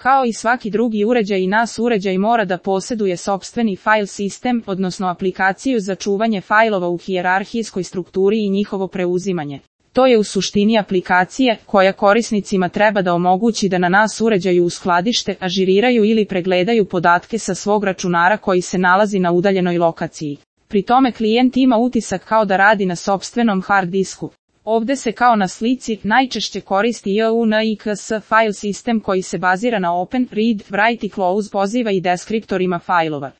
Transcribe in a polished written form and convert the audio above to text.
Kao i svaki drugi uređaj i NAS uređaj mora da posjeduje sopstveni file sistem, odnosno aplikaciju za čuvanje fajlova u hijerarhijskoj strukturi i njihovo preuzimanje. To je u suštini aplikacija koja korisnicima treba da omogući da na NAS uređaju uskladište, ažuriraju ili pregledaju podatke sa svog računara koji se nalazi na udaljenoj lokaciji. Pri tome klijent ima utisak kao da radi na sopstvenom hard disku. Ovde se kao na slici najčešće koristi UNIX file sistem koji se bazira na Open, Read, Write i Close poziva i deskriptorima fajlova.